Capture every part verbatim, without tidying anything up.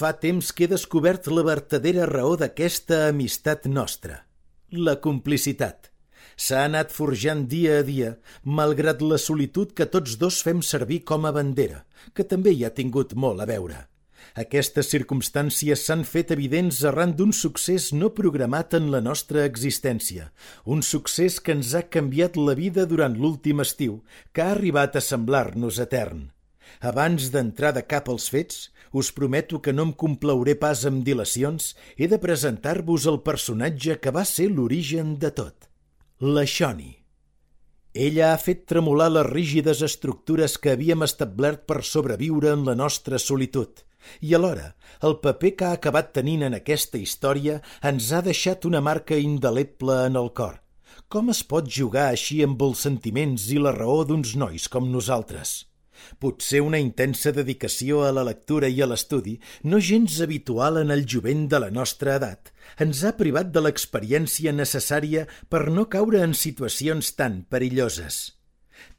Fa temps que he descobert la vertadera raó d'aquesta amistat nostra, la complicitat. S'ha anat forjant dia a dia, malgrat la solitud que tots dos fem servir com a bandera, que també hi ha tingut molt a veure. Aquestes circumstàncies s'han fet evidents arran d'un succés no programat en la nostra existència, un succés que ens ha canviat la vida durant l'últim estiu, que ha arribat a semblar-nos etern. Abans d'entrar de cap als fets, us prometo que no em complauré pas amb dilacions, he de presentar-vos el personatge que va ser l'origen de tot. La Shoni. Ella ha fet tremolar les rígides estructures que havíem establert per sobreviure en la nostra solitud, i alhora el paper que ha acabat tenint en aquesta història ens ha deixat una marca indeleble en el cor. Com es pot jugar així amb els sentiments i la raó d'uns nois com nosaltres? Potser una intensa dedicació a la lectura i a l'estudi, no gens habitual en el jovent de la nostra edat, ens ha privat de l'experiència necessària per no caure en situacions tan perilloses.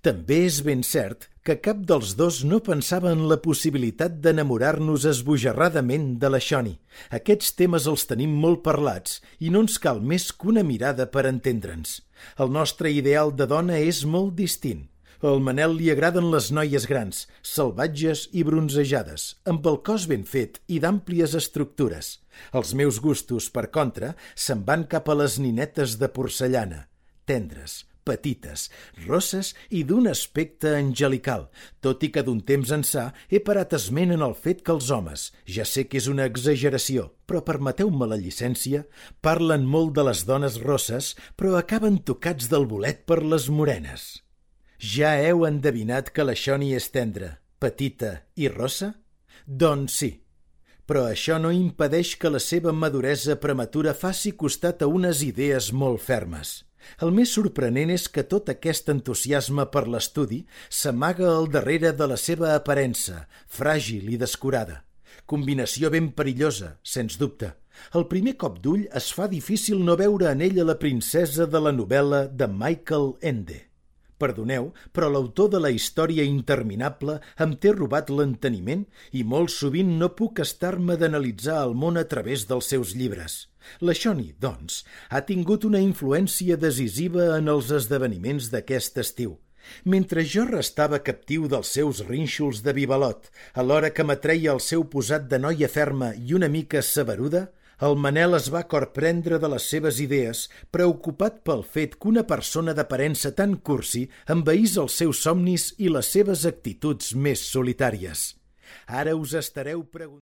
També és ben cert que cap dels dos no pensava en la possibilitat d'enamorar-nos esbojarradament de la Shoni. Aquests temes els tenim molt parlats i no ens cal més que una mirada per entendre'ns. El nostre ideal de dona és molt distint. Al Manel li agraden les noies grans, salvatges i bronzejades, amb el cos ben fet i d'àmplies estructures. Els meus gustos, per contra, se'n van cap a les ninetes de porcellana, tendres, petites, rosses i d'un aspecte angelical, tot i que d'un temps ençà he parat esment en el fet que els homes, ja sé que és una exageració, però permeteu-me la llicència, parlen molt de les dones rosses, però acaben tocats del bolet per les morenes. Ja heu endevinat que la Shoni és tendra, petita i rossa? Doncs sí, però això no impedeix que la seva maduresa prematura faci costat a unes idees molt fermes. El més sorprenent és que tot aquest entusiasme per l'estudi s'amaga al darrere de la seva aparença, fràgil i descurada. Combinació ben perillosa, sens dubte. Al primer cop d'ull es fa difícil no veure en ella la princesa de la novel·la de Michael Ende. Perdoneu, però l'autor de la història interminable em té robat l'enteniment i molt sovint no puc estar-me d'analitzar el món a través dels seus llibres. La Shoni, doncs, ha tingut una influència decisiva en els esdeveniments d'aquest estiu. Mentre jo restava captiu dels seus rínxols de bibalot, alhora que m'atreia el seu posat de noia ferma i una mica saberuda, el Manel es va corprendre de les seves idees, preocupat pel fet que una persona d'aparença tan cursi envaís els seus somnis i les seves actituds més solitàries. Ara us estareu preguntant...